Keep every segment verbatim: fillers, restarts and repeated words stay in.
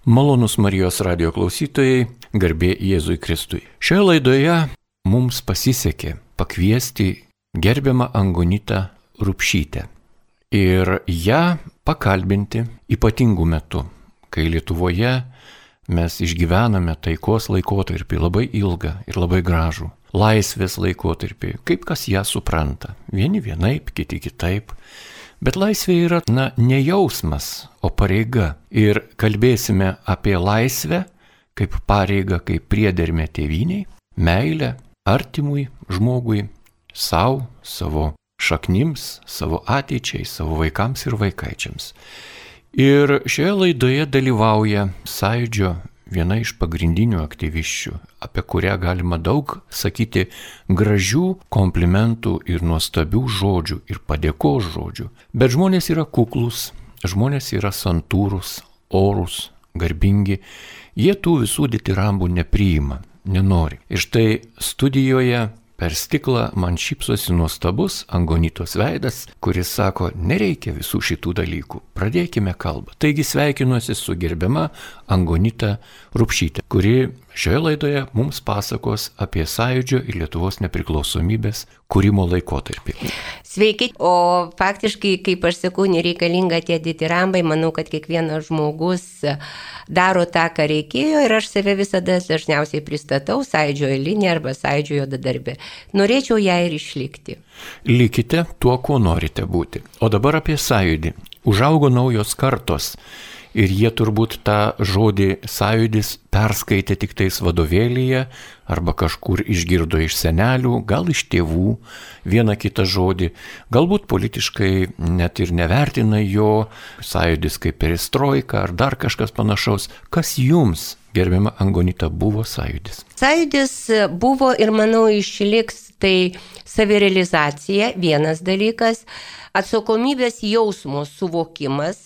Malonūs Marijos radijo klausytojai, garbė Jėzui Kristui. Šioje laidoje mums pasisekė pakviesti gerbiamą Angonitą Rupšytę ir ją pakalbinti ypatingų metų, kai Lietuvoje mes išgyvename taikos laikotarpį labai ilgą ir labai gražų, laisvės laikotarpį, kaip kas ją supranta, vieni vienaip, kiti kitaip. Bet laisvė yra, na, ne jausmas, o pareiga. Ir kalbėsime apie laisvę kaip pareigą, kaip priedermę tėvynei, meilę artimui žmogui, savo, savo šaknims, savo ateičiai, savo vaikams ir vaikaičiams. Ir šioje laidoje dalyvauja Sąjūdžio viena iš pagrindinių aktyviščių, apie kurią galima daug sakyti gražių komplimentų ir nuostabių žodžių ir padėkos žodžių. Bet žmonės yra kuklus, žmonės yra santūrus, orus, garbingi, jie tų visų ditirambų nepriima, nenori. Ir štai studijoje per stiklą man šypsosi nuostabus Angonitos veidas, kuris sako, nereikia visų šitų dalykų, pradėkime kalbą. Taigi sveikinuosi su gerbiama Angonita Rupšytė, kuri šioje laidoje mums pasakos apie Sąjūdžio ir Lietuvos nepriklausomybės kūrimo laikotarpį. Sveiki, o faktiškai, kaip aš sakau, nereikalinga tie ditirambai, manau, kad kiekvienas žmogus daro tą, ką reikėjo ir aš save visada dažniausiai pristatau Sąjūdžio eilinį arba Sąjūdžio juodadarbį. Norėčiau ją ir išlikti. Likite tuo, kuo norite būti. O dabar apie Sąjūdį. Užaugo naujos kartos. Ir jie turbūt tą žodį sąjūdis perskaitė tik tais vadovėlyje arba kažkur išgirdo iš senelių, gal iš tėvų vieną kitą žodį, galbūt politiškai net ir nevertina jo, sąjūdis kaip perestroika ar dar kažkas panašaus. Kas jums, gerbiama Angonita, buvo sąjūdis? Sąjūdis buvo ir manau išliks tai savirealizacija, vienas dalykas, atsakomybės jausmo suvokimas,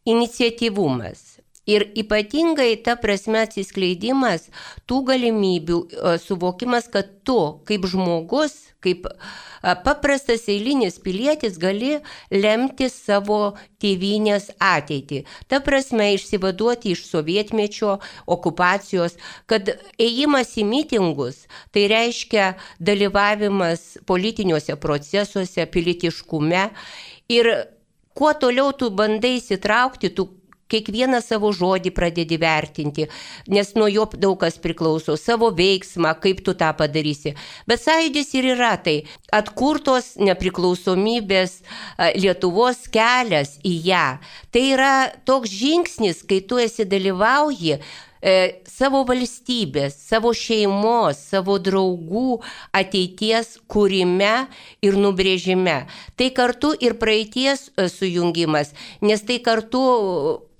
iniciatyvumas ir ypatingai ta prasme atsiskleidimas tų galimybių suvokimas, kad tu kaip žmogus, kaip paprastas eilinis pilietis gali lemti savo tėvynės ateitį. Ta prasme išsivaduoti iš sovietmečio okupacijos, kad ėjimas į mitingus, tai reiškia dalyvavimas politiniuose procesuose, pilietiškume ir kuo toliau tu bandai įsitraukti, tu kiekvieną savo žodį pradedi vertinti, nes nuo jo daug kas priklauso, savo veiksmą, kaip tu tą padarysi. Bet sąjūdis ir yra tai atkurtos nepriklausomybės Lietuvos kelias į ją. Tai yra toks žingsnis, kai tu esi dalyvauji savo valstybės, savo šeimos, savo draugų ateities kūrime ir nubrėžime. Tai kartu ir praeities sujungimas, nes tai kartu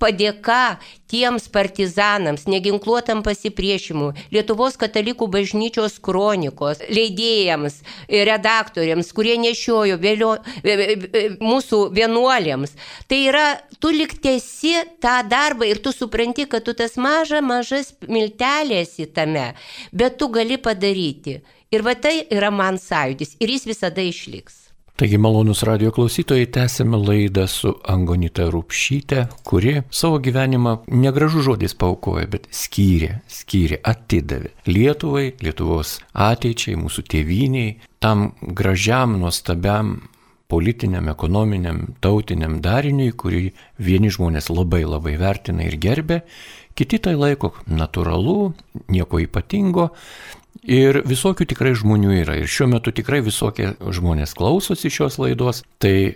padėka tiems partizanams, neginkluotam pasipriešimui, Lietuvos katalikų bažnyčios kronikos, leidėjams, redaktoriams, kurie nešiojo vėlio, mūsų vienuolėms. Tai yra, tu lyg tęsi tą darbą ir tu supranti, kad tu tas maža, mažas miltelės į tame, bet tu gali padaryti. Ir va tai yra man sąjūdis ir jis visada išliks. Taigi, malonūs radijo klausytojai, tęsėme laidą su Angonita Rupšyte, kuri savo gyvenimą negražų žodis paaukojo, bet skyrė, skyrė, atidavė Lietuvai, Lietuvos ateičiai, mūsų tėvyniai, tam gražiam, nuostabiam politiniam, ekonominiam, tautiniam dariniui, kurį vieni žmonės labai labai vertina ir gerbė, kiti tai laiko natūralu, nieko ypatingo. Ir visokių tikrai žmonių yra. Ir šiuo metu tikrai visokie žmonės klausosi šios laidos. Tai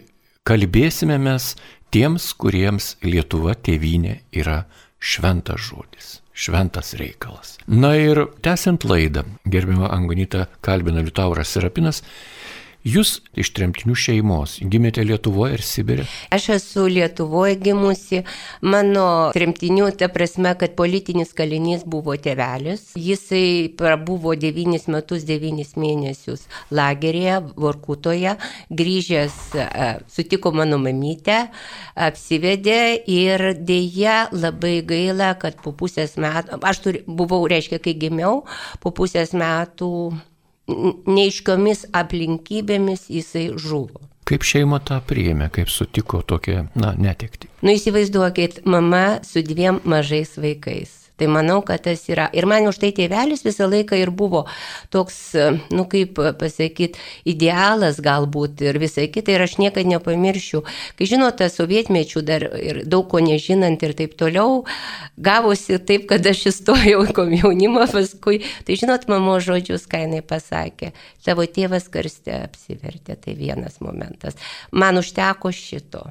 kalbėsime mes tiems, kuriems Lietuva tėvynė yra šventas žodis, šventas reikalas. Na ir tęsiant laidą, gerbiama Angonita kalbina Liutauras Serapinas. Jūs iš tremtinių šeimos gimėte Lietuvoje ir Sibire? Aš esu Lietuvoje gimusi. Mano tremtinių, ta prasme, kad politinis kalinys buvo tėvelis. Jisai prabuvo devynis metus, devynis mėnesius lageryje, Vorkutoje. Grįžęs sutiko mano mamytę, apsivedė ir dėja labai gaila, kad po pusės metų, aš turi, buvau, reiškia, kai gimiau, po pusės metų neiškiomis aplinkybėmis jisai žuvo. Kaip šeima tą priėmė, kaip sutiko tokią, na, netektį? Nu įsivaizduokit, mama su dviem mažais vaikais. Tai manau, kad tas yra. Ir man už tai tėvelis visą laiką ir buvo toks, nu kaip pasakyti, idealas galbūt ir visai kitai. Ir aš niekada nepamiršiu. Kai žinote, sovietmečių dar ir daug ko nežinant ir taip toliau, gavosi taip, kad aš įstojau į komjaunimą paskui. Tai žinot, mamo žodžius, ką jinai pasakė. Tavo tėvas karste apsivertė. Tai vienas momentas. Man užteko šito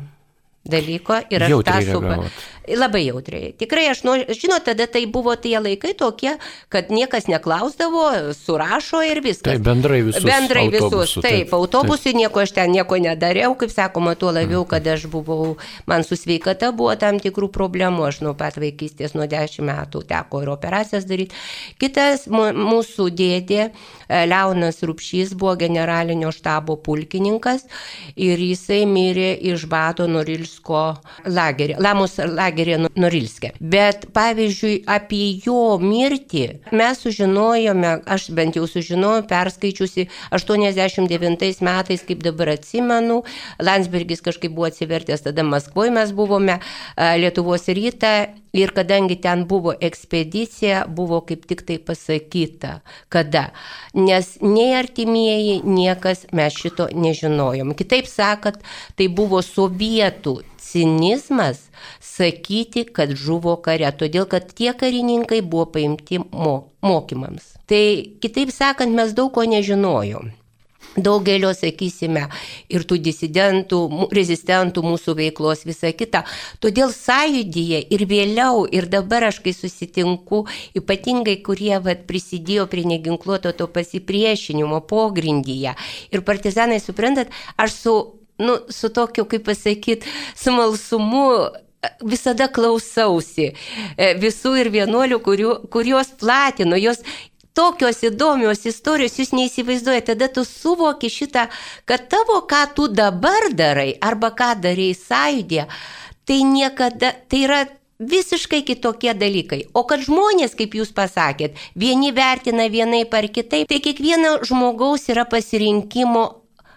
dalyko ir aš tą supratau. Labai jautriai. Tikrai aš noriu, žinot, tada tai buvo tie laikai tokie, kad niekas neklausdavo, surašo ir viskas. Taip, bendrai visus. Bendrai visus, taip, taip autobusui taip. Nieko aš ten nieko nedariau, kaip sakoma, tuo labiau, kad aš buvau, man su sveikata buvo tam tikrų problemų, aš nuo pat vaikystės, nuo dešimt metų teko ir operacijas daryti. Kitas mūsų dėdė, Leonas Rupšys, buvo generalinio štabo pulkininkas ir jisai mirė iš bado Norilsko lagerį, Lamos lagerį. Norilske. Bet pavyzdžiui, apie jo mirtį mes sužinojome, aš bent jau sužinojau, perskaičiusi aštuoniasdešimt devintais metais, kaip dabar atsimenu, Landsbergis kažkaip buvo atsivertęs, tada Maskvoje mes buvome, Lietuvos rytą, ir kadangi ten buvo ekspedicija, buvo kaip tik tai pasakyta, kada. Nes nei artimieji, niekas mes šito nežinojom. Kitaip sakant, tai buvo sovietų cinizmas sakyti, kad žuvo kare, todėl kad tie karininkai buvo paimti mo- mokymams. Tai kitaip sakant, mes daug ko nežinojom. Daugelio, sakysime, ir tų disidentų, rezistentų mūsų veiklos, visa kita. Todėl sąjūdyje ir vėliau, ir dabar aš kai susitinku, ypatingai kurie vat, prisidėjo prie neginkluoto to pasipriešinimo pogrindyje. Ir partizanai, suprantat, aš su, nu, su tokiu, kaip pasakyti, smalsumu visada klausausi visų ir vienuolių, kurios platino, jos tokios įdomios istorijos, jūs neįsivaizduojate, tada tu suvoki šitą, kad tavo, ką tu dabar darai, arba ką darai sąjūdė, tai niekada, tai yra visiškai kitokie dalykai. O kad žmonės, kaip jūs pasakėt, vieni vertina vienaip ar kitaip, tai kiekvieno žmogaus yra pasirinkimo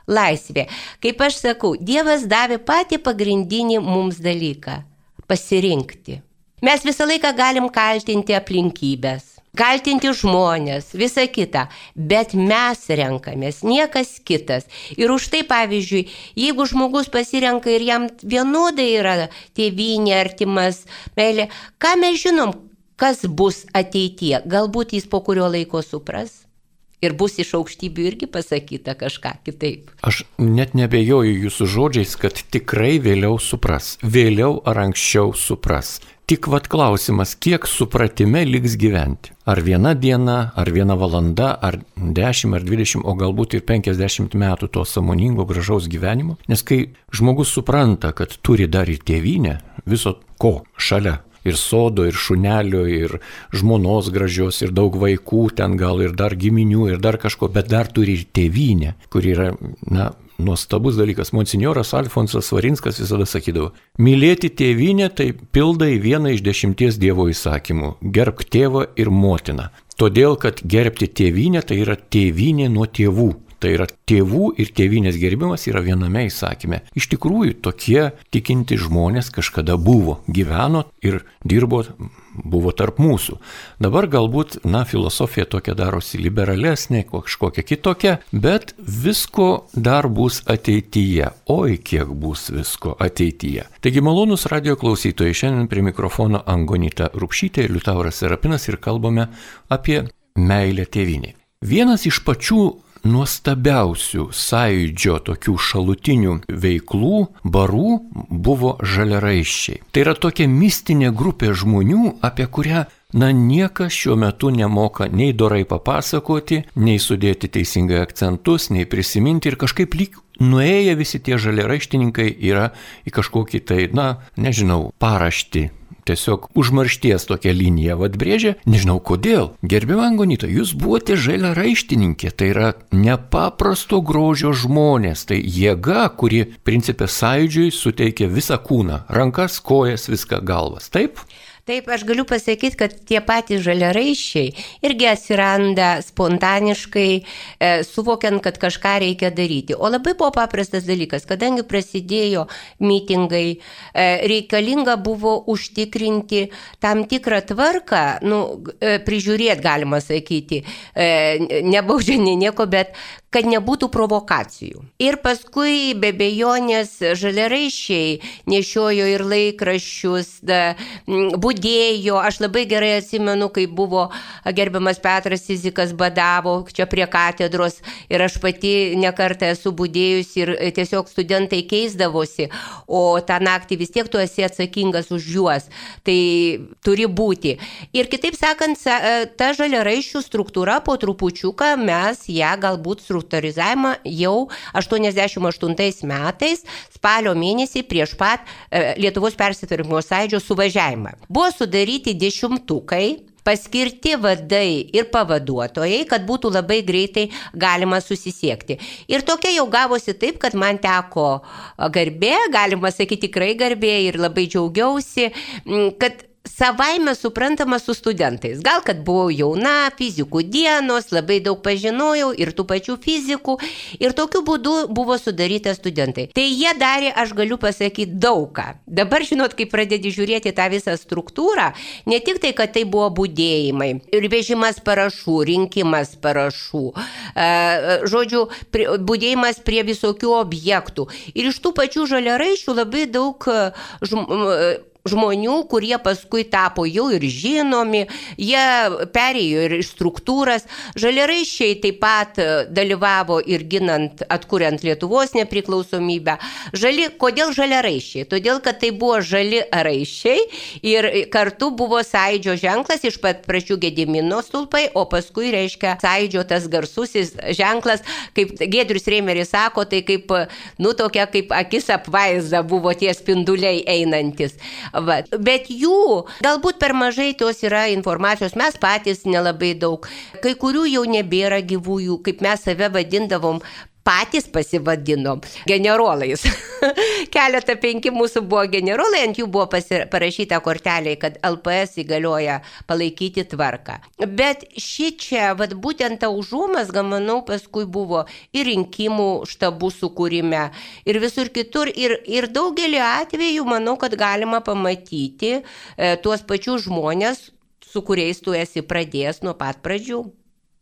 laisvė. Kaip aš sakau, Dievas davė patį pagrindinį mums dalyką – pasirinkti. Mes visą laiką galim kaltinti aplinkybės. Kaltinti žmonės, visa kita, bet mes renkamės, niekas kitas. Ir už tai, pavyzdžiui, jeigu žmogus pasirenka ir jam vienodai yra tėvynė, artimas, meilė, ką mes žinom, kas bus ateityje, galbūt jis po kurio laiko supras. Ir bus iš aukštybių irgi pasakyta kažką kitaip. Aš net nebejoju jūsų žodžiais, kad tikrai vėliau supras. Vėliau ar anksčiau supras. Tik vat klausimas, kiek supratime liks gyventi. Ar viena diena, ar viena valanda, ar dešimt, ar dvidešimt, o galbūt ir penkiasdešimt metų to sąmoningo gražaus gyvenimo. Nes kai žmogus supranta, kad turi dar ir tėvynę, viso ko šalia. Ir sodo, ir šunelio, ir žmonos gražios, ir daug vaikų, ten gal ir dar giminių, ir dar kažko, bet dar turi ir tėvynę, kur yra, na, nuostabus dalykas. Monsinjoras Alfonsas Svarinskas visada sakydavo, mylėti tėvynę tai pildai vieną iš dešimties Dievo įsakymų, gerbk tėvą ir motiną. Todėl, kad gerbti tėvynę tai yra tėvynė nuo tėvų. Tai yra tėvų ir tėvynės gerbimas yra viename įsakyme. Iš tikrųjų, tokie tikinti žmonės kažkada buvo, gyveno ir dirbo, buvo tarp mūsų. Dabar galbūt, na, filosofija tokia darosi liberalesnė, kažkokia kitokia, bet visko dar bus ateityje. Oi, kiek bus visko ateityje. Taigi, malonus radio klausytojai, šiandien prie mikrofono Angonita Rupšytė ir Liutauras Serapinas ir kalbame apie meilę tėvynei. Vienas iš pačių nuostabiausių sąjūdžio tokių šalutinių veiklų, barų buvo žaliaraiščiai. Tai yra tokia mistinė grupė žmonių, apie kurią, na, niekas šiuo metu nemoka nei dorai papasakoti, nei sudėti teisingai akcentus, nei prisiminti ir kažkaip lyg nuėję visi tie žaliaraištininkai yra į kažkokį tai, na, nežinau, paraštį. Tiesiog užmaršties tokią liniją atbrėžė, nežinau kodėl. Gerbiama Angonita, jūs buvote žaliaraištininkė, tai yra nepaprasto grožio žmonės, tai jėga, kuri principė sąjūdžiui suteikia visą kūną, rankas, kojas, viską galvas, taip? Taip, aš galiu pasakyti, kad tie patys žaliaraiščiai irgi atsiranda spontaniškai, e, suvokiant, kad kažką reikia daryti. O labai buvo paprastas dalykas, kadangi prasidėjo mitingai, e, reikalinga buvo užtikrinti tam tikrą tvarką, nu, e, prižiūrėti, galima sakyti, e, nebaudžiant nieko, bet kad nebūtų provokacijų. Ir paskui be bejonės žaliaraiščiai nešiojo ir laikraščius, da, budėjo. Aš labai gerai atsimenu, kai buvo gerbiamas Petras Cidzikas badavo čia prie katedros ir aš pati nekartą esu budėjusi ir tiesiog studentai keisdavosi, o tą naktį vis tiek tu esi atsakingas už juos. Tai turi būti. Ir kitaip sakant, ta žaliaraiščių struktūra po trupučiuką mes ją galbūt struktūrizavimą jau aštuoniasdešimt aštuntais metais, spalio mėnesį prieš pat e, Lietuvos persitvarkymo sąjūdžio suvažiavimą. Buvo sudaryti dešimtukai, paskirti vadai ir pavaduotojai, kad būtų labai greitai galima susisiekti. Ir tokia jau gavosi taip, kad man teko garbė, galima sakyti tikrai garbė ir labai džiaugiausi, kad savaime suprantama su studentais. Gal, kad buvau jauna, fizikų dienos, labai daug pažinojau ir tų pačių fizikų ir tokiu būdu buvo sudaryta studentai. Tai jie darė, aš galiu pasakyti, daugą. Dabar, žinot, kai pradedi žiūrėti tą visą struktūrą, ne tik tai, kad tai buvo budėjimai, ir vežimas parašų, rinkimas parašų, e, žodžiu, prie, budėjimas prie visokių objektų. Ir iš tų pačių žaliaraiščių labai daug žm, žmonių, kurie paskui tapo jau ir žinomi, jie perėjo ir iš struktūras. Žaliaraiščiai taip pat dalyvavo ir ginant, atkuriant Lietuvos nepriklausomybę. Žali, kodėl žaliaraiščiai? Todėl, kad tai buvo žali raiščiai ir kartu buvo sąjūdžio ženklas, iš pat pradžių Gedimino stulpai, o paskui reiškia sąjūdžio tas garsusis ženklas, kaip Giedrius Reimeris sako, tai kaip, nu, tokia kaip akis apvaizda buvo tie spinduliai einantis. Va. Bet jų galbūt per mažai tos yra informacijos, mes patys nelabai daug. Kai kurių jau nebėra gyvųjų, kaip mes save vadindavom, patys pasivadinom generolais. Keletą penki mūsų buvo generolai, ant jų buvo pasir... parašyta kortelė, kad L P S įgalioja palaikyti tvarką. Bet ši čia, vat, būtent ta užuomazga, manau, paskui buvo ir rinkimų štabų sukūrime, ir visur kitur, ir, ir daugelį atvejų, manau, kad galima pamatyti e, tuos pačius žmonės, su kuriais tu esi pradėjęs nuo pat pradžių.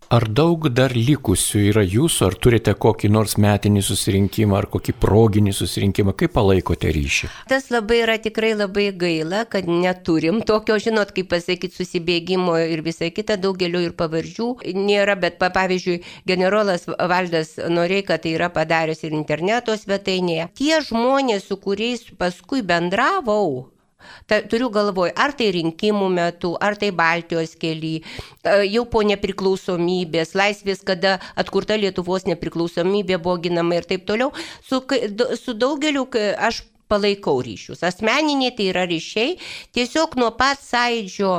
Ar daug dar likusių yra jūsų, ar turite kokį nors metinį susirinkimą, ar kokį proginį susirinkimą, kaip palaikote ryšį? Tas labai yra tikrai labai gaila, kad neturim tokio, žinot, kaip pasakyti, susibėgimo ir visą kitą, daugelio ir pavardžių nėra, bet pavyzdžiui, generolas Valdas Noreika tai yra padaręs ir interneto svetainėje. Tie žmonės, su kuriais paskui bendravau, Ta, turiu galvoj, ar tai rinkimų metu, ar tai Baltijos kely, jau po nepriklausomybės, laisvės, kada atkurta Lietuvos nepriklausomybė buvo ginama ir taip toliau, su, su daugeliu aš palaikau ryšius. Asmeniniai tai yra ryšiai, tiesiog nuo pat sąjūdžio,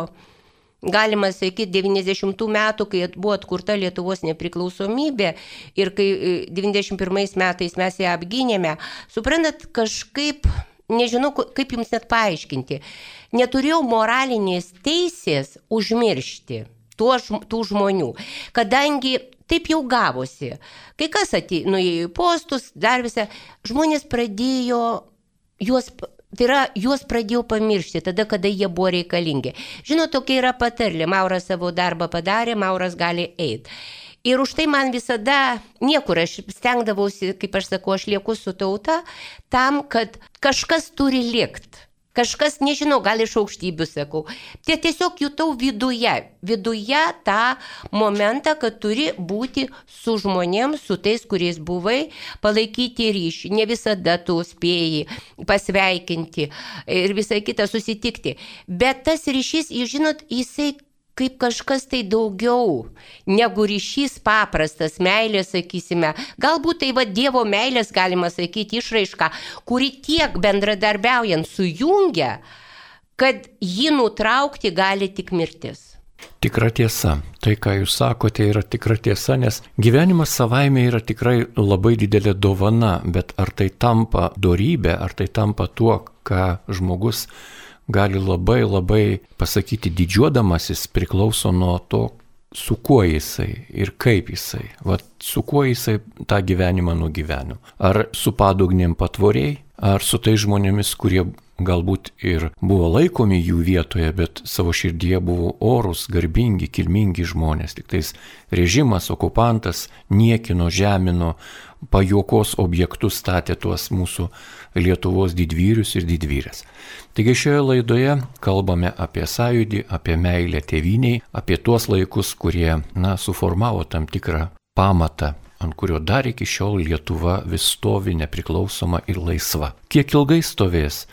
galima sakyti, devyniasdešimtų metų, kai buvo atkurta Lietuvos nepriklausomybė ir kai devyniasdešimt pirmais metais mes ją apgynėme, suprantat, kažkaip... Nežinau, kaip jums net paaiškinti. Neturėjau moralinės teisės užmiršti tuo, tų žmonių, kadangi taip jau gavosi. Kai kas atėjo, nuėjo į postus, dar visą, žmonės pradėjo juos... Tai yra, juos pradėjau pamiršti tada, kada jie buvo reikalingi. Žinot, tokia yra patarlė, Mauras savo darbą padarė, Mauras gali eiti. Ir už tai man visada niekur, aš stengdavausi, kaip aš sakau, aš lieku su tauta, tam, kad kažkas turi likti. Kažkas, nežinau, gal iš aukštybių sakau. Tai tiesiog jutau viduje, viduje tą momentą, kad turi būti su žmonėms, su tais, kuriais buvai, palaikyti ryšį. Ne visada tu spėjai pasveikinti ir visą kitą susitikti. Bet tas ryšys, jūs žinot, jisai kaip kažkas tai daugiau negu ryšys paprastas, meilės, sakysime. Galbūt tai va Dievo meilės, galima sakyti, išraiška, kuri tiek bendradarbiaujant sujungia, kad jį nutraukti gali tik mirtis. Tikra tiesa. Tai, ką jūs sakote, yra tikra tiesa, nes gyvenimas savaime yra tikrai labai didelė dovana, bet ar tai tampa dorybė, ar tai tampa tuo, ką žmogus gali labai labai pasakyti didžiuodamasis priklauso nuo to, su kuo jisai ir kaip jisai. Vat su kuo jisai tą gyvenimą nugyveno. Ar su padugnėm patvoriai, ar su tai žmonėmis, kurie galbūt ir buvo laikomi jų vietoje, bet savo širdyje buvo orus, garbingi, kilmingi žmonės. Tik tais režimas, okupantas niekino, žemino, pajuokos objektus statė tuos mūsų Lietuvos didvyrius ir didvyrės. Taigi šioje laidoje kalbame apie sąjūdį, apie meilę tėvyniai, apie tuos laikus, kurie, na, suformavo tam tikrą pamatą, ant kurio dar iki šiol Lietuva vis stovi nepriklausoma ir laisva. Kiek ilgai stovės,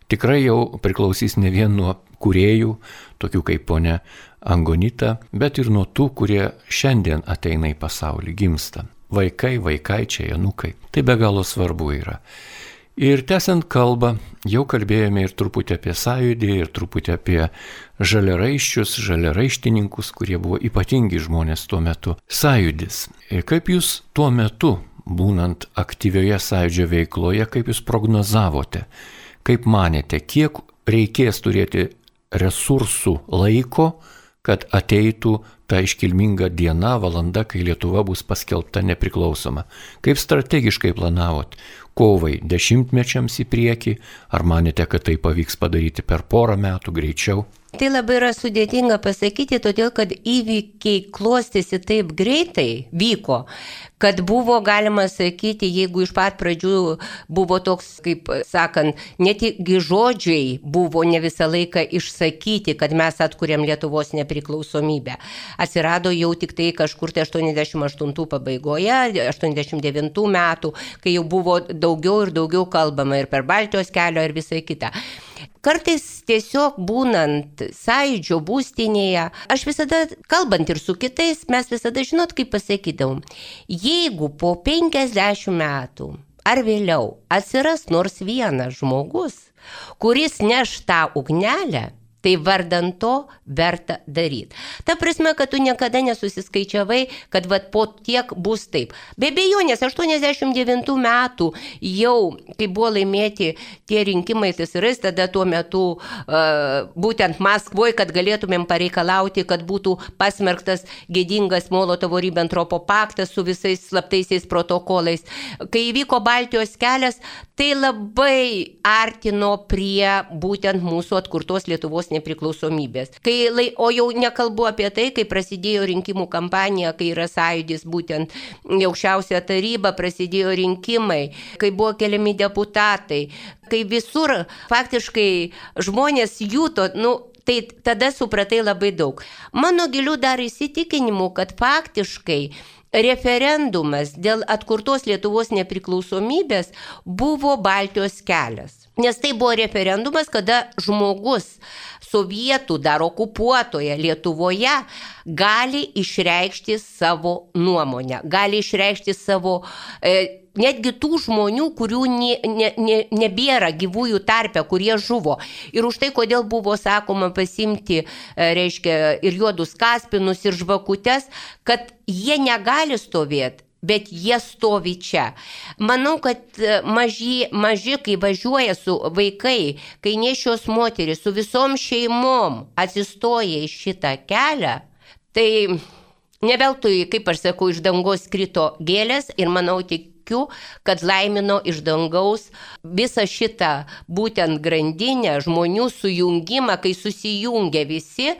tikrai jau priklausys ne vien nuo kūrėjų, tokių kaip ponia Angonita, bet ir nuo tų, kurie šiandien ateina į pasaulį, gimsta. Vaikai, vaikaičiai, anūkai. Tai be galo svarbu yra. Ir tęsiant kalbą, jau kalbėjome ir truputį apie sąjūdį, ir truputį apie žaliaraiščius, žaliaraištininkus, kurie buvo ypatingi žmonės tuo metu. Sąjūdis. Ir kaip jūs tuo metu, būnant aktyvioje sąjūdžio veikloje, kaip jūs prognozavote, kaip manėte, kiek reikės turėti resursų laiko, kad ateitų ta iškilminga diena, valanda, kai Lietuva bus paskelbta nepriklausoma. Kaip strategiškai planavot? Kovai dešimtmečiams į priekį? Ar manėte, kad tai pavyks padaryti per porą metų greičiau? Tai labai yra sudėtinga pasakyti, todėl kad įvykiai klostėsi taip greitai, vyko, kad buvo galima sakyti, jeigu iš pat pradžių buvo toks, kaip sakant, netgi žodžiai buvo ne visą laiką išsakyti, kad mes atkuriam Lietuvos nepriklausomybę. Atsirado jau tik tai kažkur tai aštuoniasdešimt aštuntų pabaigoje, aštuoniasdešimt devintų metų, kai jau buvo daugiau ir daugiau kalbama ir per Baltijos kelio ir visai kita. Kartais tiesiog būnant sąjūdžio būstinėje, aš visada, kalbant ir su kitais, mes visada, žinot, kaip pasakydavom, jeigu po penkiasdešimt metų ar vėliau atsiras nors vienas žmogus, kuris neš tą ugnelę, tai vardan to verta daryti. Ta prasme, kad tu niekada nesusiskaičiavai, kad vat po tiek bus taip. Be abejonės, aštuoniasdešimt devintų metų jau, kai buvo laimėti tie rinkimai T S R S, tada tuo metu uh, būtent Maskvoje, kad galėtumėm pareikalauti, kad būtų pasmerktas gėdingas Molotovo-Ribentropo paktas su visais slaptaisiais protokolais. Kai įvyko Baltijos kelias, tai labai artino prie būtent mūsų atkurtos Lietuvos nepriklausomybės. Kai, o jau nekalbu apie tai, kai prasidėjo rinkimų kampanija, kai yra sąjūdis būtent aukščiausia taryba, prasidėjo rinkimai, kai buvo keliami deputatai, kai visur faktiškai žmonės juto, nu, tai tada supratai labai daug. Mano gilių dar įsitikinimų, kad faktiškai referendumas dėl atkurtos Lietuvos nepriklausomybės buvo Baltijos kelias. Nes tai buvo referendumas, kada žmogus sovietų dar okupuotoje Lietuvoje gali išreikšti savo nuomonę, gali išreikšti savo, e, netgi tų žmonių, kurių ne, ne, ne, nebėra gyvųjų tarpe, kurie žuvo. Ir už tai, kodėl buvo sakoma pasimti, e, reiškia, ir juodus kaspinus, ir žvakutes, kad jie negali stovėti, bet jie stovi čia. Manau, kad maži, maži kai važiuoja su vaikai, kai nešios moteris su visom šeimom atsistoja į šitą kelią, tai ne veltui, kaip aš sakau, iš dangaus krito gėlės ir manau tik kad laimino iš dangaus visą šitą būtent grandinę, žmonių sujungimą, kai susijungia visi,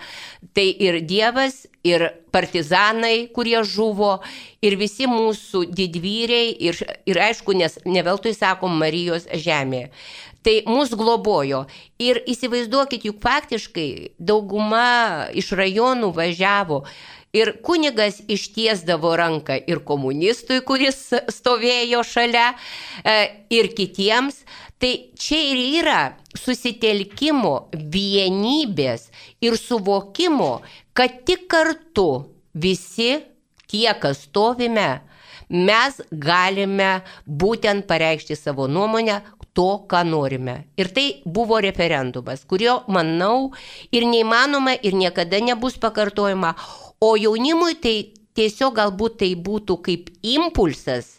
tai ir Dievas, ir partizanai, kurie žuvo, ir visi mūsų didvyriai, ir, ir aišku, nes ne veltui sakom Marijos žemė. Tai mus globojo. Ir įsivaizduokit, juk faktiškai dauguma iš rajonų važiavo. Ir kunigas ištiesdavo ranką ir komunistui, kuris stovėjo šalia, ir kitiems. Tai čia ir yra susitelkimo, vienybės ir suvokimo, kad tik kartu visi tie, kas stovime, mes galime būtent pareikšti savo nuomonę, to, ką norime. Ir tai buvo referendumas, kurio, manau, ir neįmanoma, ir niekada nebus pakartojama. O jaunimui tai tiesiog galbūt tai būtų kaip impulsas,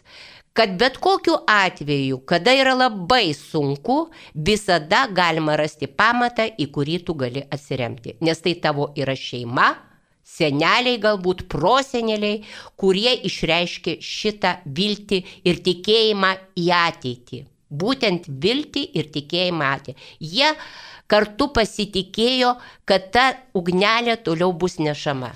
kad bet kokiu atveju, kada yra labai sunku, visada galima rasti pamatą, į kurį tu gali atsiremti. Nes tai tavo yra šeima, seneliai galbūt, proseneliai, kurie išreiškė šitą viltį ir tikėjimą į ateitį. Būtent viltį ir tikėjimą ateitį. Jie kartu pasitikėjo, kad ta ugnelė toliau bus nešama.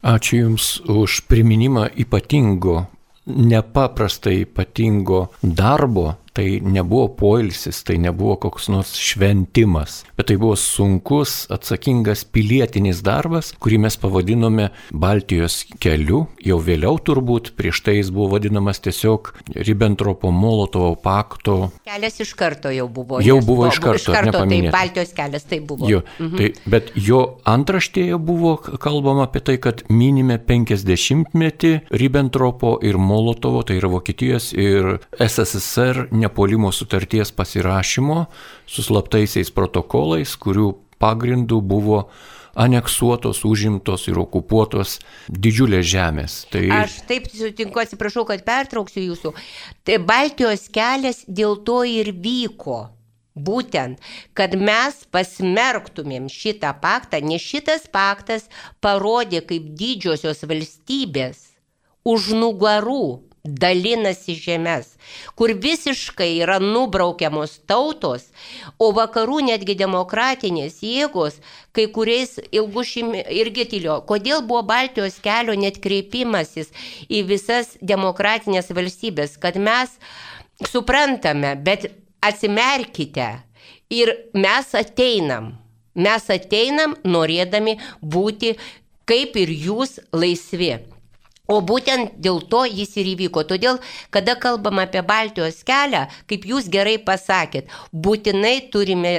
Ačiū Jums už priminimą ypatingo, nepaprastai ypatingo darbo. Tai nebuvo poilsis, tai nebuvo koks nors šventimas, bet tai buvo sunkus, atsakingas pilietinis darbas, kurį mes pavadinome Baltijos keliu. Jau vėliau turbūt, prieš tai jis buvo vadinamas tiesiog Ribbentropo-Molotovo pakto. Kelias iš karto jau buvo. Jau buvo iš karto, iš karto nepaminėta. Tai Baltijos kelias tai buvo. Jo, mhm. tai, bet jo antraštėje buvo kalbama apie tai, kad minime penkiasdešimtmetį Ribbentropo ir Molotovo, tai yra Vokietijos ir S S S R nepuolimo sutarties pasirašymo su slaptaisiais protokolais, kurių pagrindų buvo aneksuotos, užimtos ir okupuotos didžiulės žemės. Tai... Aš taip sutinku, atsiprašau, kad pertrauksiu jūsų. Tai Baltijos kelias dėl to ir vyko. Būtent, kad mes pasmerktumėm šitą paktą, nes šitas paktas parodė, kaip didžiosios valstybės už nugarų dalinasi žemės, kur visiškai yra nubraukiamos tautos, o vakarų netgi demokratinės jėgos, kai kuriais ilgušim irgi tylio. Kodėl buvo Baltijos kelio net kreipimasis į visas demokratinės valstybės, kad mes suprantame, bet atsimerkite ir mes ateinam, mes ateinam norėdami būti kaip ir jūs laisvi. O būtent dėl to jis ir įvyko. Todėl, kada kalbam apie Baltijos kelią, kaip jūs gerai pasakėt, būtinai turime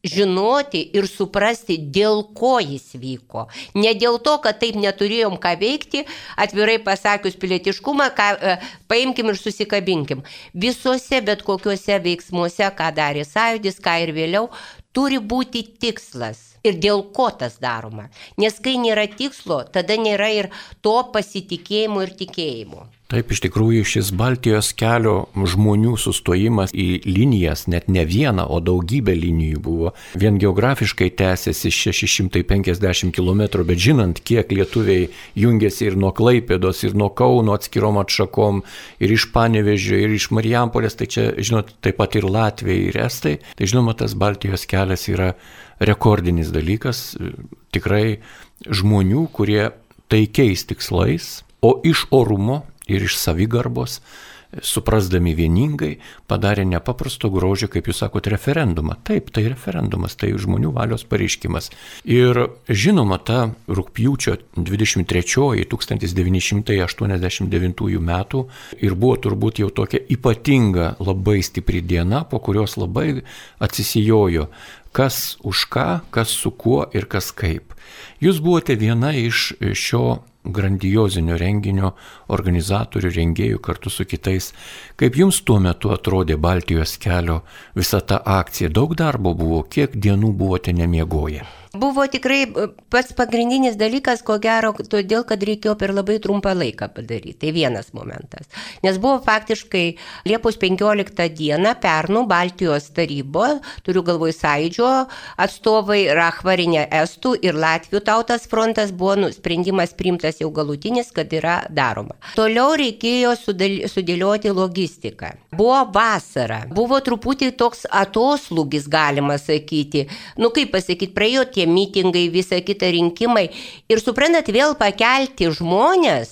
žinoti ir suprasti, dėl ko jis vyko. Ne dėl to, kad taip neturėjom ką veikti, atvirai pasakius pilietiškumą, ką, paimkim ir susikabinkim. Visuose bet kokiuose veiksmuose, ką darė Sąjūdis, ką ir vėliau, turi būti tikslas. Ir dėl ko tas daroma. Nes kai nėra tikslo, tada nėra ir to pasitikėjimo ir tikėjimo. Taip, iš tikrųjų šis Baltijos kelio žmonių sustojimas į linijas, net ne vieną, o daugybę linijų buvo. Vien geografiškai tęsiasi šeši šimtai penkiasdešimt kilometrų, bet žinant, kiek lietuviai jungiasi ir nuo Klaipėdos, ir nuo Kauno atskirom atšakom, ir iš Panevėžio, ir iš Marijampolės, tai čia, žinot, taip pat ir Latvijai, ir Estai. Tai žinoma, tas Baltijos kelias yra rekordinis dalykas, tikrai žmonių, kurie taikiais tikslais, o iš orumo ir iš savigarbos, suprasdami vieningai, padarė nepaprasto grožio, kaip jūs sakot, referendumą. Taip, tai referendumas, tai žmonių valios pareiškimas. Ir žinoma, ta rugpjūčio dvidešimt trečioji tūkstantis devyni šimtai aštuoniasdešimt devintųjų metų ir buvo turbūt jau tokia ypatinga, labai stipri diena, po kurios labai atsisijojo, kas už ką, kas su kuo ir kas kaip. Jūs buvote viena iš šio grandiozinio renginio organizatorių, rengėjų kartu su kitais. Kaip jums tuo metu atrodė Baltijos kelio visa ta akcija? Daug darbo buvo, kiek dienų buvote nemiegoję? Buvo tikrai pats pagrindinis dalykas, ko gero, todėl, kad reikėjo per labai trumpą laiką padaryti. Tai vienas momentas. Nes buvo faktiškai Liepos penkioliktą dieną pernų Baltijos tarybo, turiu galvoj Sąjūdžio atstovai, Rachvarinė Estų ir Latvių tautas frontas, buvo sprendimas priimtas jau galutinis, kad yra daroma. Toliau reikėjo sudėlioti logistiką. Buvo vasara, buvo truputį toks atoslūgis, galima sakyti. Nu kaip pasakyti, praėjo tie mitingai, visa kita rinkimai. Ir suprantat, vėl pakelti žmonės,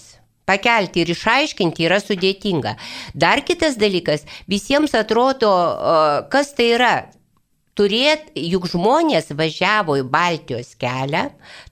pakelti ir išaiškinti yra sudėtinga. Dar kitas dalykas, visiems atrodo, kas tai yra. Turėt, juk žmonės važiavo į Baltijos kelią,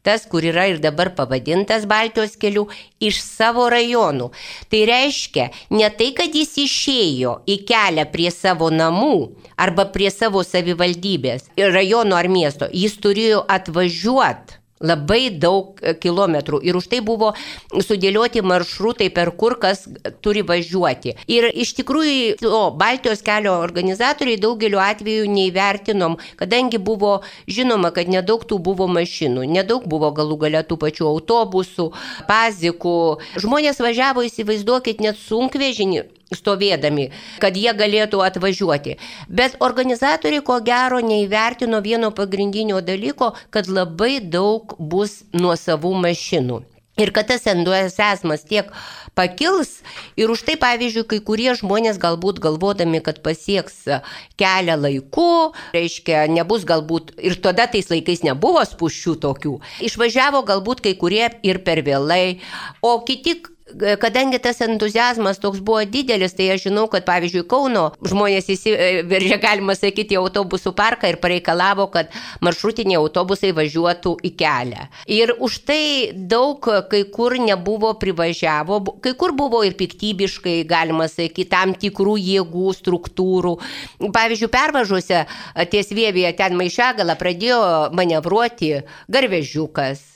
tas, kur yra ir dabar pavadintas Baltijos keliu, iš savo rajonų. Tai reiškia, ne tai, kad jis išėjo į kelią prie savo namų arba prie savo savivaldybės, rajono ar miesto, jis turėjo atvažiuoti labai daug kilometrų ir už tai buvo sudėlioti maršrutai, per kur kas turi važiuoti. Ir iš tikrųjų, o, Baltijos kelio organizatoriai daugeliu atveju neįvertinom, kadangi buvo žinoma, kad nedaug tų buvo mašinų, nedaug buvo galų gale tų pačių autobusų, pazikų. Žmonės važiavo, įsivaizduokit, net sunkvežinį. stovėdami, kad jie galėtų atvažiuoti. Bet organizatoriai ko gero neįvertino vieno pagrindinio dalyko, kad labai daug bus nuosavų mašinų. Ir kad tas entuziazmas tiek pakils ir už tai, pavyzdžiui, kai kurie žmonės galbūt galvodami, kad pasieks kelią laiku, reiškia, nebus galbūt, ir tada tais laikais nebuvo spūsčių tokių, išvažiavo galbūt kai kurie ir per vėlai, o kiti, kadangi tas entuziazmas toks buvo didelis, tai aš žinau, kad pavyzdžiui Kauno žmonės įsiveržė, galima sakyti, į autobusų parką ir pareikalavo, kad maršrutiniai autobusai važiuotų į kelią. Ir už tai daug kai kur nebuvo privažiavo, kai kur buvo ir piktybiškai, galima sakyti, tam tikrų jėgų, struktūrų. Pavyzdžiui, pervažuose ties Vievyje ten Maišiagala pradėjo manevruoti garvežiukas.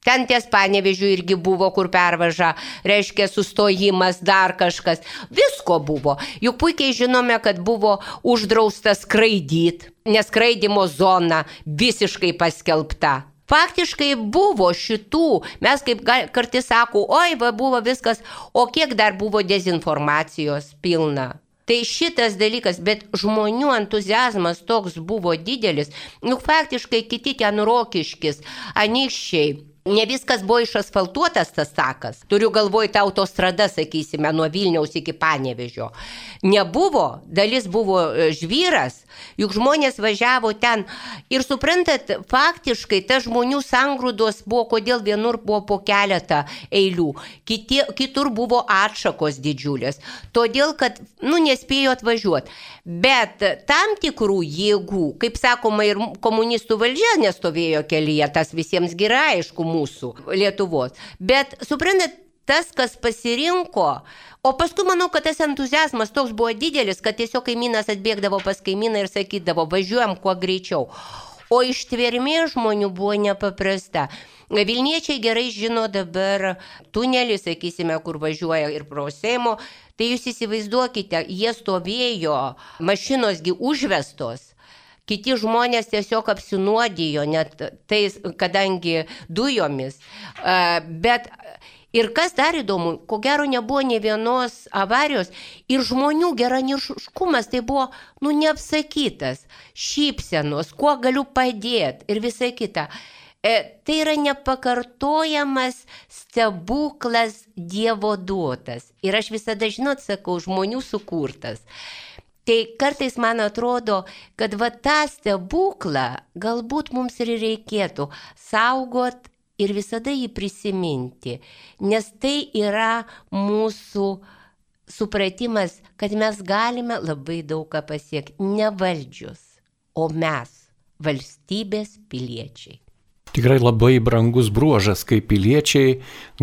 Ten ties Panevėžiu irgi buvo, kur pervaža, reiškia sustojimas, dar kažkas. Visko buvo. Juk puikiai žinome, kad buvo uždrausta skraidyti, nes skraidimo zona visiškai paskelbta. Faktiškai buvo šitų, mes kaip kartais sako, oi, va buvo viskas, o kiek dar buvo dezinformacijos pilna. Tai šitas dalykas, bet žmonių entuziazmas toks buvo didelis, nu faktiškai kiti ten Rokiškis, Anykščiai. Ne viskas buvo išasfaltuotas tas takas. Turiu galvoj tą autostradą, sakysime, nuo Vilniaus iki Panevėžio. Nebuvo, dalis buvo žvyras, juk žmonės važiavo ten. Ir suprantat, faktiškai tas žmonių sangrūdos buvo, kodėl vienur buvo po keletą eilių, kiti, kitur buvo atšakos didžiulės. Todėl, kad, nu, nespėjo atvažiuoti. Bet tam tikrų jėgų, kaip sakoma, ir komunistų valdžia nestovėjo kelyje, tas visiems gerai, aišku, mūsų Lietuvos. Bet suprantat, tas, kas pasirinko, o paskui manau, kad tas entuziazmas toks buvo didelis, kad tiesiog kaimynas atbėgdavo pas kaimyną ir sakydavo, važiuojam kuo greičiau. O ištvermė žmonių buvo nepaprasta. Vilniečiai gerai žino dabar tunelį, sakysime, kur važiuoja ir pro Seimo. Tai jūs įsivaizduokite, jie stovėjo, mašinosgi užvestos. Kiti žmonės tiesiog apsinuodijo, net tais, kadangi dujomis. Bet ir kas dar įdomu, ko gero nebuvo ne vienos avarijos ir žmonių geranoriškumas tai buvo, nu, neapsakytas, šypsenos, kuo galiu padėti ir visa kita. E, tai yra nepakartojamas stebuklas Dievo duotas. Ir aš visada, žinot, sakau, žmonių sukurtas. Tai kartais man atrodo, kad va tą stebuklą galbūt mums ir reikėtų saugot ir visada jį prisiminti, nes tai yra mūsų supratimas, kad mes galime labai daug ką pasiekti, ne valdžius, o mes, valstybės piliečiai. Tikrai labai brangus bruožas, kai piliečiai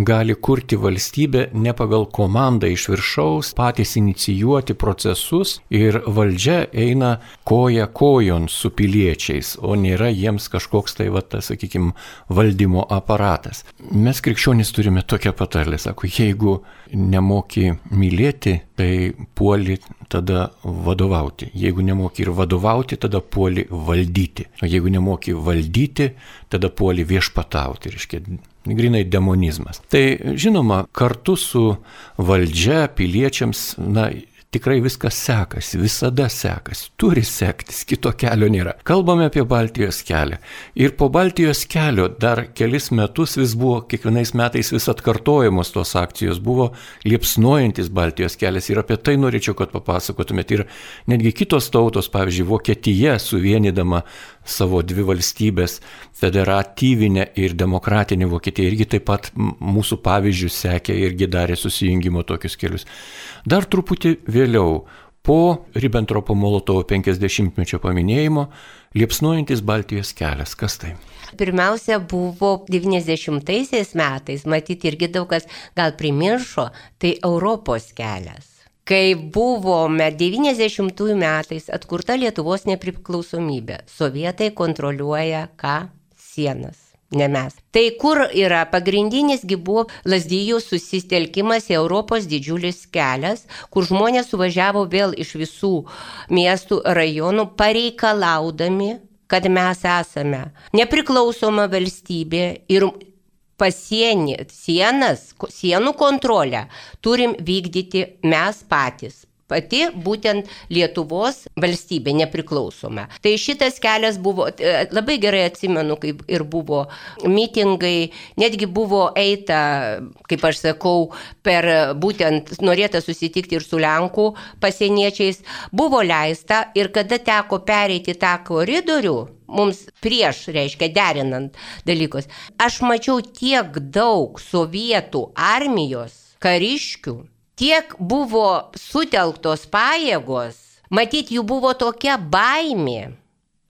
gali kurti valstybę ne pagal komandą iš viršaus, patys inicijuoti procesus ir valdžia eina koja kojon su piliečiais, o nėra jiems kažkoks tai, va, tas, sakykime, valdymo aparatas. Mes krikščionys turime tokią patarlę, sako, jeigu nemoki mylėti, tai puoli tada vadovauti. Jeigu nemoki ir vadovauti, tada puoli valdyti. O jeigu nemoki valdyti, tada puoli viešpatauti, reiškia, grinai demonizmas. Tai žinoma, kartu su valdžia piliečiams, na, tikrai viskas sekasi, visada sekasi, turi sektis, kito kelio nėra. Kalbame apie Baltijos kelią. Ir po Baltijos kelio dar kelis metus vis buvo, kiekvienais metais vis atkartojamos tos akcijos, buvo liepsnojantis Baltijos kelias ir apie tai norėčiau, kad papasakotumėt. Ir netgi kitos tautos, pavyzdžiui, Vokietija suvienydama savo dvi valstybės, federatyvinę ir demokratinę Vokietiją, irgi taip pat mūsų pavyzdžių sekė, irgi darė susijungimo tokius kelius. Dar truputį vėliau, po Ribbentropo-Molotovo penkiasdešimtmečio paminėjimo, liepsnojantis Baltijos kelias. Kas tai? Pirmiausia, buvo devyniasdešimtaisiais metais, matyti irgi daug kas gal primiršo, tai Europos kelias. Kai buvome devyniasdešimtųjų metais atkurta Lietuvos nepriklausomybė, sovietai kontroliuoja ką? Sienas. Ne mes. Tai kur yra pagrindinėsgi buvo Lazdijų susitelkimas į Europos didžiulis kelias, kur žmonės suvažiavo vėl iš visų miestų, rajonų, pareikalaudami, kad mes esame nepriklausoma valstybė ir pasienį, sienas, sienų kontrolę turim vykdyti mes patys. Pati būtent Lietuvos valstybė nepriklausoma. Tai šitas kelias buvo, labai gerai atsimenu, kaip ir buvo mitingai, netgi buvo eita, kaip aš sakau, per būtent norėta susitikti ir su Lenkų pasieniečiais, buvo leista ir kada teko pereiti tą koridorių, mums prieš, reiškia, derinant dalykus, aš mačiau tiek daug sovietų armijos kariškių, tiek buvo sutelktos pajėgos, matyt, jų buvo tokia baimė,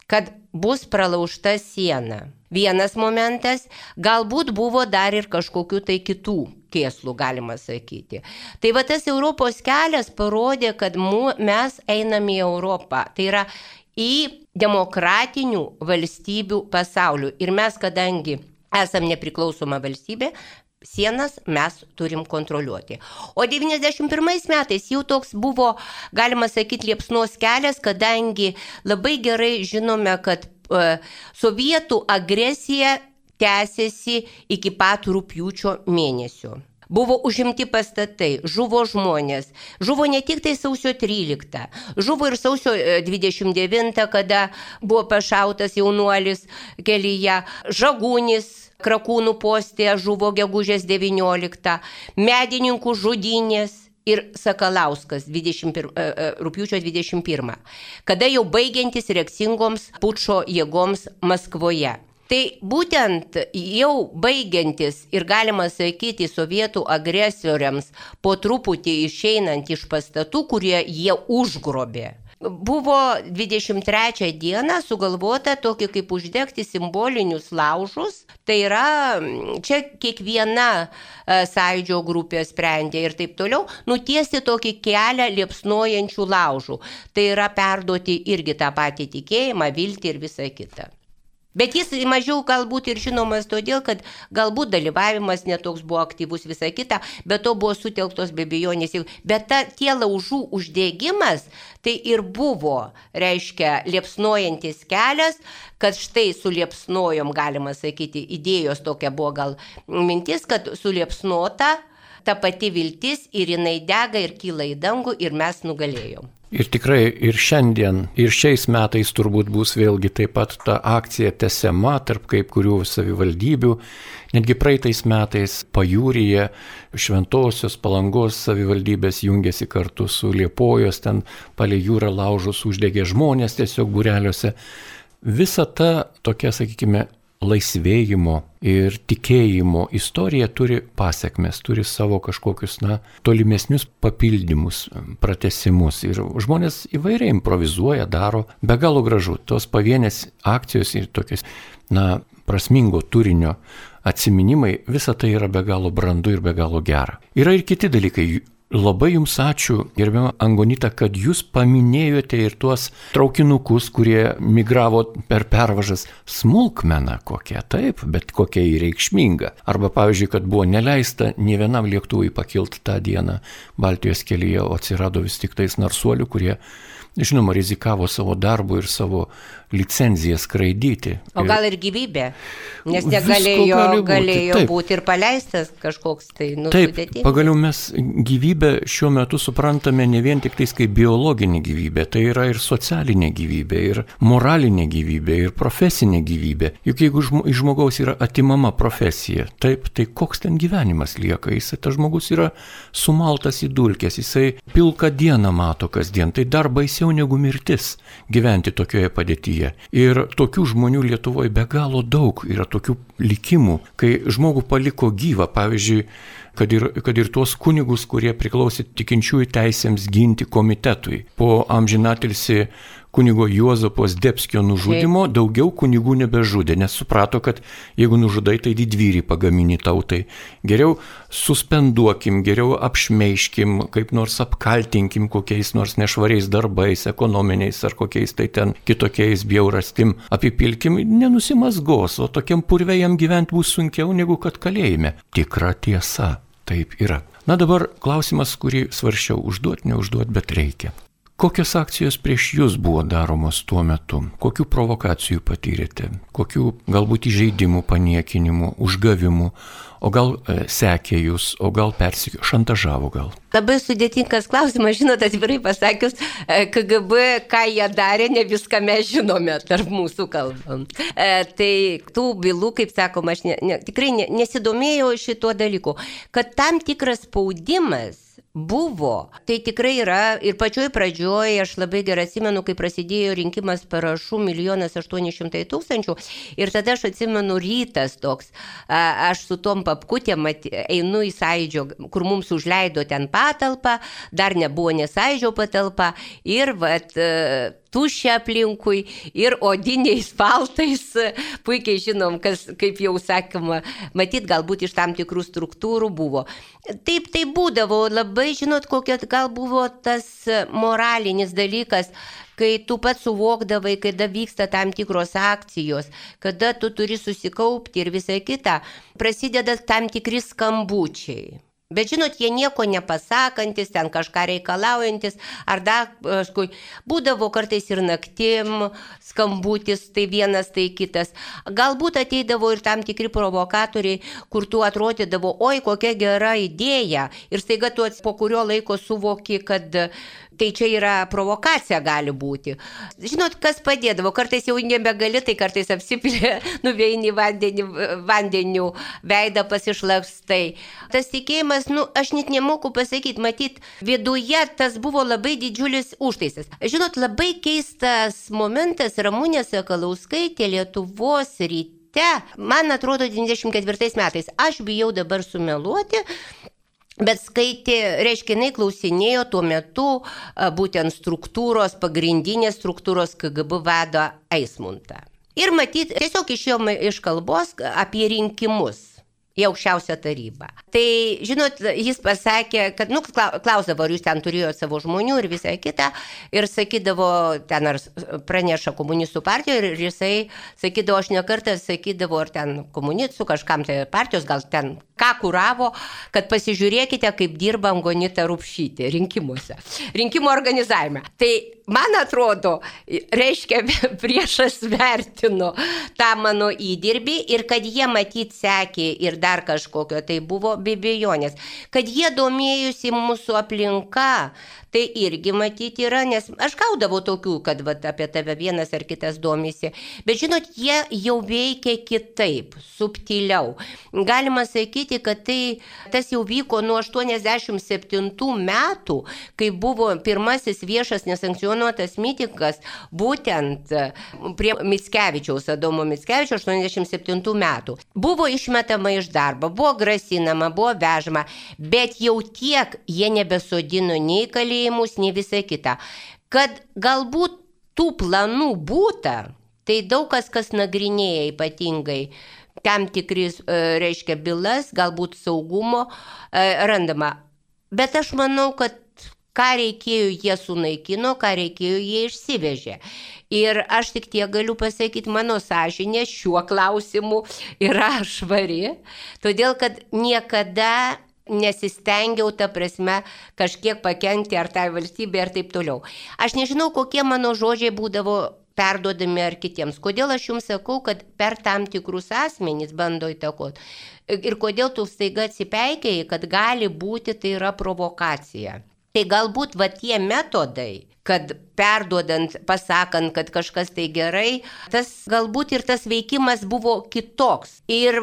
kad bus pralaužta siena. Vienas momentas, galbūt buvo dar ir kažkokių tai kitų kėslų, galima sakyti. Tai va tas Europos kelias parodė, kad mu, mes einame į Europą. Tai yra į demokratinių valstybių pasaulių. Ir mes, kadangi esam nepriklausoma valstybė, sienas mes turim kontroliuoti. O devyniasdešimt pirmais metais jau toks buvo, galima sakyti, liepsnos kelias, kadangi labai gerai žinome, kad uh, sovietų agresija tęsiasi iki pat rugpjūčio mėnesio. Buvo užimti pastatai, žuvo žmonės, žuvo ne tik tai sausio tryliktą, žuvo ir sausio dvidešimt devintą, kada buvo pašautas jaunuolis kelyje, Žagūnis, Krakūnų postėje žuvo gegužės devynioliktą, medininkų žudynės ir Sakalauskas rugpjūčio dvidešimt pirmą, kada jau baigiantis reakcingoms pučo jėgoms Maskvoje. Tai būtent jau baigiantis ir galima sakyti sovietų agresoriams po truputį išeinant iš pastatų, kurie jie užgrobė. Buvo dvidešimt trečią dieną sugalvota tokį kaip uždegti simbolinius laužus, tai yra, čia kiekviena sąjūdžio grupė sprendė ir taip toliau, nutiesti tokį kelią liepsnojančių laužų, tai yra perduoti irgi tą patį tikėjimą, viltį ir visą kitą. Bet jis mažiau galbūt ir žinomas todėl, kad galbūt dalyvavimas netoks buvo aktyvus visą kitą, bet to buvo sutelktos be abejonės. Bet ta, tie laužų uždegimas, tai ir buvo, reiškia, liepsnojantis kelias, kad štai suliepsnojom, galima sakyti, idėjos tokia buvo gal mintis, kad suliepsnota ta pati viltis ir jinai dega ir kyla į dangų ir mes nugalėjom. Ir tikrai ir šiandien, ir šiais metais turbūt bus vėlgi taip pat ta akcija tęsiama tarp kaip kurių savivaldybių. Netgi praeitais metais Pajūryje Šventosios Palangos savivaldybės jungiasi kartu su Liepojos, ten palei jūrą laužus uždegė žmonės tiesiog būreliuose. Visa ta tokia, sakykime, laisvėjimo ir tikėjimo istorija turi pasiekmes, turi savo kažkokius, na, tolimesnius papildymus, pratęsimus. Ir žmonės įvairiai improvizuoja, daro, be galo gražu. Tos pavienės akcijos ir tokios, na, prasmingo turinio atsiminimai, visa tai yra be galo brandu ir be galo gera. Yra ir kiti dalykai. Labai jums ačiū, gerbiama Angonita, kad jūs paminėjote ir tuos traukinukus, kurie migravo per pervažas. Smulkmena kokia, taip, bet kokia įreikšminga. Arba, pavyzdžiui, kad buvo neleista nė vienam lėktuvui pakilti tą dieną Baltijos kelyje, o atsirado vis tik tais narsuolių, kurie, žinoma, rizikavo savo darbu ir savo licenciją skraidyti. O gal ir gyvybė, nes negalėjo būti, galėjo būti ir paleistas kažkoks tai nusudėtinis. Taip, pagaliau mes gyvybę šiuo metu suprantame ne vien tik tais kaip biologinė gyvybė, tai yra ir socialinė gyvybė, ir moralinė gyvybė, ir profesinė gyvybė. Juk jeigu iš žmogaus yra atimama profesija, taip, tai koks ten gyvenimas lieka? Jisai, tas žmogus yra sumaltas į dulkes, jisai pilką dieną mato kasdien, tai dar baisiau negu mirtis gyventi tokioje padėtyje. Ir tokių žmonių Lietuvoje be galo daug, yra tokių likimų, kai žmogų paliko gyvą, pavyzdžiui, kad ir, kad ir tuos kunigus, kurie priklausė tikinčiųjų teisėms ginti komitetui. Po amžinatilsį kunigo Juozapo Zdebskio nužudimo daugiau kunigų nebežudė, nes suprato, kad jeigu nužudai, tai didvyrį pagamini tautai. Geriau suspenduokim, geriau apšmeiškim, kaip nors apkaltinkim kokiais nors nešvariais darbais, ekonominiais ar kokiais tai ten kitokiais bjaurastim apipilkim, nenusimasgos, o tokiam purve jam gyventi bus sunkiau negu kad kalėjime. Tikra tiesa, taip yra. Na dabar klausimas, kurį svarsčiau užduoti, neužduoti, bet reikia. Kokios akcijos prieš jūs buvo daromos tuo metu? Kokių provokacijų patyrėte? Kokių galbūt įžeidimų, paniekinimų, užgavimų? O gal e, sekė jūs, o gal persikėjo, šantažavo gal? Labai sudėtingas klausimas, žinot, atvirai pasakius, K G B, ką jie darė, ne viską mes žinome tarp mūsų kalbam. E, tai tų bylų, kaip sakoma, aš ne, ne, tikrai ne, nesidomėjau šituo dalyku, kad tam tikras spaudimas buvo. Tai tikrai yra ir pačioj pradžioj, aš labai gerai atsimenu, kai prasidėjo rinkimas parašų milijonas aštuoni šimtai tūkstančių ir tada aš atsimenu rytas toks, a, aš su tom papkutėm einu į Sąjūdžio, kur mums užleido ten patalpą, dar nebuvo ne Sąjūdžio patalpa ir vat tuščia aplinkui ir odiniais paltais, puikiai žinom, kas, kaip jau sakoma, matyt, galbūt iš tam tikrų struktūrų buvo. Taip, tai būdavo labai, žinot, kokia gal buvo tas moralinis dalykas, kai tu pats suvokdavai, kada vyksta tam tikros akcijos, kada tu turi susikaupti ir visą kitą, prasideda tam tikri skambučiai. Bet žinot, jie nieko nepasakantis, ten kažką reikalaujantis, ar dar kažkui. Būdavo kartais ir naktim skambutis, tai vienas, tai kitas. Galbūt ateidavo ir tam tikri provokatoriai, kur tu atrodydavo, oi, kokia gera idėja. Ir staiga tu po kurio laiko suvoki, kad tai čia yra provokacija gali būti. Žinot, kas padėdavo, kartais jau nebegali, tai kartais apsipilė, nuveini vandenį, vandeniu, veidą pasišlakstai. Tas tikėjimas, nu, aš net nemoku pasakyti, matyt, viduje tas buvo labai didžiulis užtaisas. Žinot, labai keistas momentas, Ramunė Sakalauskaitė Lietuvos ryte, man atrodo, devyniasdešimt ketvirtais metais, aš bijau dabar sumeluoti, bet skaitė, reiškia, jinai klausinėjo tuo metu būtent struktūros, pagrindinės struktūros K G B vado Eismuntą. Ir matyt, tiesiog išėjome iš kalbos apie rinkimus į aukščiausią tarybą. Tai, žinot, jis pasakė, kad, nu, klausdavo, ar jūs ten turėjote savo žmonių ir visą kitą, ir sakydavo, ten ar praneša komunistų partijoje, ir jisai sakydavo, aš nekartą sakydavo, ar ten komunistų kažkam tai partijos, gal ten ką kuravo, kad pasižiūrėkite, kaip dirba Angonita Rupšytė rinkimuose, rinkimų organizavime. Tai, man atrodo, reiškia, priešas vertino tą mano įdirbį ir kad jie matyt sekė ir dar kažkokio, tai buvo be abejonės. Kad jie domėjusi mūsų aplinka, tai irgi matyti yra, nes aš gaudavau tokių, kad vat, apie tave vienas ar kitas domisi. Bet žinot, jie jau veikia kitaip, subtiliau. Galima sakyti, kad tai, tas jau vyko nuo aštuoniasdešimt septintų metų, kai buvo pirmasis viešas nesankcionuotas mitingas, būtent prie Mickevičiaus, Adomo Mickevičiaus aštuoniasdešimt septintų metų. Buvo išmetama iš darbo, buvo grasinama, buvo vežama, bet jau tiek jie nebesodino nei kalėjimus, nei visą kitą. Kad galbūt tų planų būta, tai daug kas, kas nagrinėja ypatingai tam tikris, reiškia, bylas, galbūt saugumo randama. Bet aš manau, kad ką reikėjo jie sunaikino, ką reikėjo jie išsivežė. Ir aš tik tiek galiu pasakyti, mano sąžinė šiuo klausimu yra švari, todėl kad niekada nesistengiau, ta prasme, kažkiek pakenkti ar tai valstybė ar taip toliau. Aš nežinau, kokie mano žodžiai būdavo perduodami ar kitiems. Kodėl aš jums sakau, kad per tam tikrus asmenys bando įtakoti. Ir kodėl tu staiga atsipeikiai, kad gali būti tai yra provokacija. Tai galbūt va tie metodai, kad perduodant, pasakant, kad kažkas tai gerai, tas galbūt ir tas veikimas buvo kitoks. Ir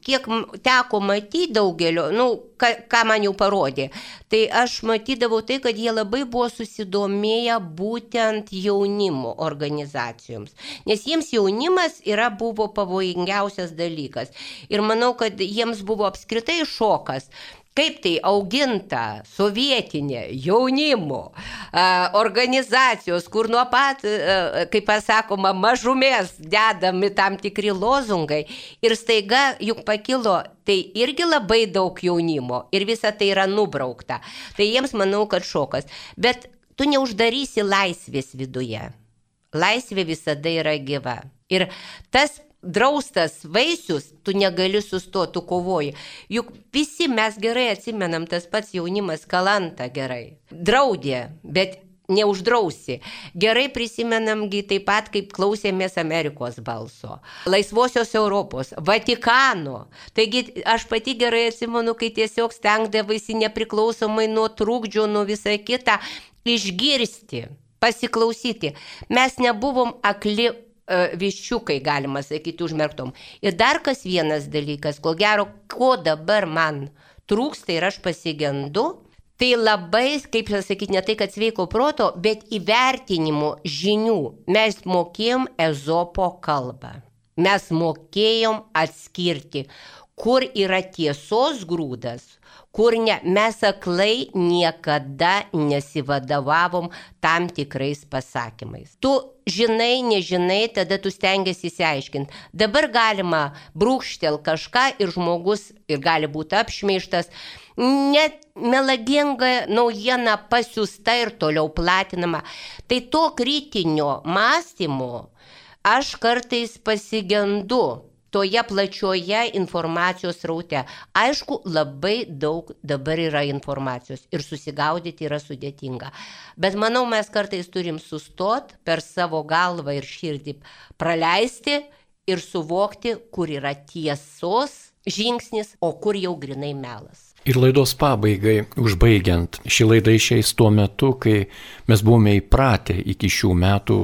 kiek teko matyti daugelio, nu, ką, ką man jau parodė, tai aš matydavau tai, kad jie labai buvo susidomėję būtent jaunimo organizacijoms. Nes jiems jaunimas yra buvo pavojingiausias dalykas. Ir manau, kad jiems buvo apskritai šokas. Kaip tai auginta sovietinė jaunimo organizacijos, kur nuo pat, kaip pasakoma, mažumės dedami tam tikri lozungai ir staiga juk pakilo, tai irgi labai daug jaunimo ir visa tai yra nubraukta. Tai jiems manau, kad šokas. Bet tu neuždarysi laisvės viduje. Laisvė visada yra gyva. Ir tas draustas vaisius, tu negali sustoti, tu kovoji. Juk visi mes gerai atsimenam, tas pats jaunimas Kalantą gerai. Draudė, bet neuždrausi. Gerai prisimenamgi taip pat, kaip klausėmės Amerikos balso, Laisvosios Europos, Vatikano. Taigi aš pati gerai atsimenu, kai tiesiog stengdavaisi nepriklausomai nuo trukdžių, nuo visą kitą, išgirsti, pasiklausyti. Mes nebuvom akli viščiukai, galima sakyti, užmerktom. Ir dar kas vienas dalykas, ko gero, ko dabar man trūksta ir aš pasigendu, tai labai, kaip sakyti, ne tai, kad sveiko proto, bet įvertinimo žinių. Mes mokėjom Ezopo kalbą. Mes mokėjom atskirti, kur yra tiesos grūdas, kur ne. Mes aklai niekada nesivadavavom tam tikrais pasakymais. Tu žinai, nežinai, tada tu stengiasi įsiaiškinti. Dabar galima brūkštel kažką ir žmogus ir gali būti apšmeižtas. Net melaginga naujiena pasiųsta ir toliau platinama. Tai to kritinio mąstymo aš kartais pasigendu toje plačioje informacijos sraute. Aišku, labai daug dabar yra informacijos ir susigaudyti yra sudėtinga. Bet manau, mes kartais turim sustot per savo galvą ir širdį, praleisti ir suvokti, kur yra tiesos žingsnis, o kur jau grinai melas. Ir laidos pabaigai, užbaigiant, ši laida išeis tuo metu, kai mes buvome įpratę iki šių metų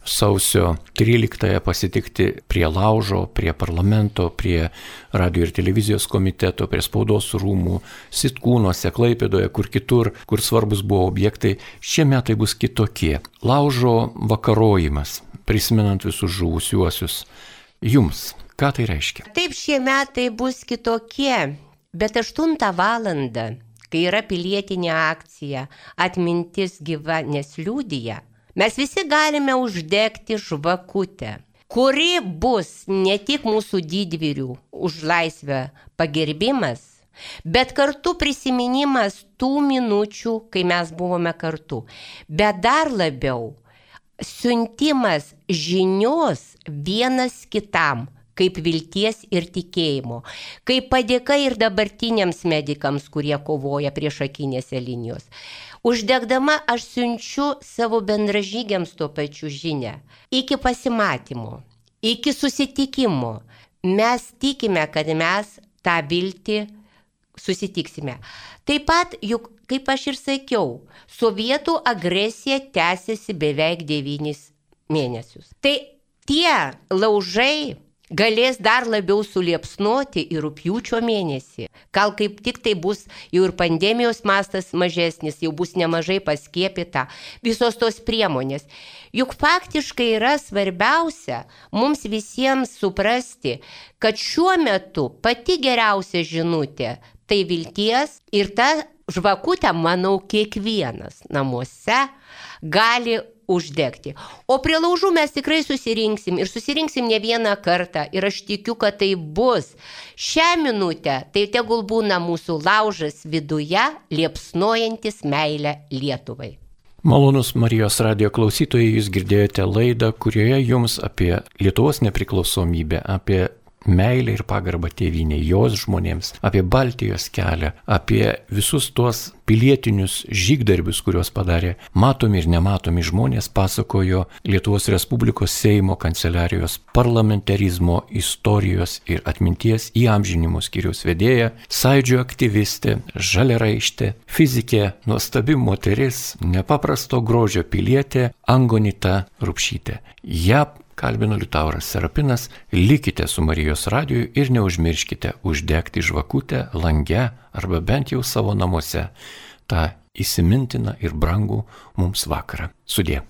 sausio tryliktąją pasitikti prie laužo, prie parlamento, prie radio ir televizijos komiteto, prie spaudos rūmų, Sitkūnuose, Klaipėdoje, kur kitur, kur svarbus buvo objektai. Šie metai bus kitokie. Laužo vakarojimas, prisimenant visus žuvusiuosius. Jums, ką tai reiškia? Taip, šie metai bus kitokie. Bet aštuntą valandą, kai yra pilietinė akcija, atmintis gyva nesliūdija, mes visi galime uždegti žvakutę, kuri bus ne tik mūsų didvyrių už laisvę pagerbimas, bet kartu prisiminimas tų minučių, kai mes buvome kartu. Bet dar labiau siuntimas žinios vienas kitam, kaip vilties ir tikėjimo, kaip padėka ir dabartiniams medikams, kurie kovoja priešakinėse linijos. Uždegdama aš siunčiu savo bendražygiams tuo pačiu žinią. Iki pasimatymo, iki susitikimo mes tikime, kad mes tą viltį susitiksime. Taip pat, juk, kaip aš ir sakiau, sovietų agresija tęsiasi beveik devynis mėnesius. Tai tie laužai galės dar labiau suliepsnoti ir rugpjūčio mėnesį. Gal kaip tik tai bus jau ir pandemijos mastas mažesnis, jau bus nemažai paskiepyta, visos tos priemonės. Juk faktiškai yra svarbiausia mums visiems suprasti, kad šiuo metu pati geriausia žinutė tai vilties ir tą žvakutę, manau, kiekvienas namuose gali uždegti. O prie laužų mes tikrai susirinksim ir susirinksim ne vieną kartą ir aš tikiu, kad tai bus. Šią minutę tai tegul būna mūsų laužas viduje, liepsnojantis meilę Lietuvai. Malonus Marijos radijo klausytojai, jūs girdėjote laidą, kurioje jums apie Lietuvos nepriklausomybę, apie meilę ir pagarbą tėvynei, jos žmonėms, apie Baltijos kelią, apie visus tuos pilietinius žygdarbius, kuriuos padarė matomi ir nematomi žmonės, pasakojo Lietuvos Respublikos Seimo kanceliarijos parlamentarizmo istorijos ir atminties įamžinimo skyriaus vedėja, Sąjūdžio aktyvistė, žaliaraištė, fizikė, nuostabi moteris, nepaprasto grožio pilietė Angonita Rupšytė. Ja kalbino Liutauras Serapinas, likite su Marijos radiju ir neužmirškite uždegti žvakutę lange arba bent jau savo namuose tą įsimintiną ir brangų mums vakarą. Sudie.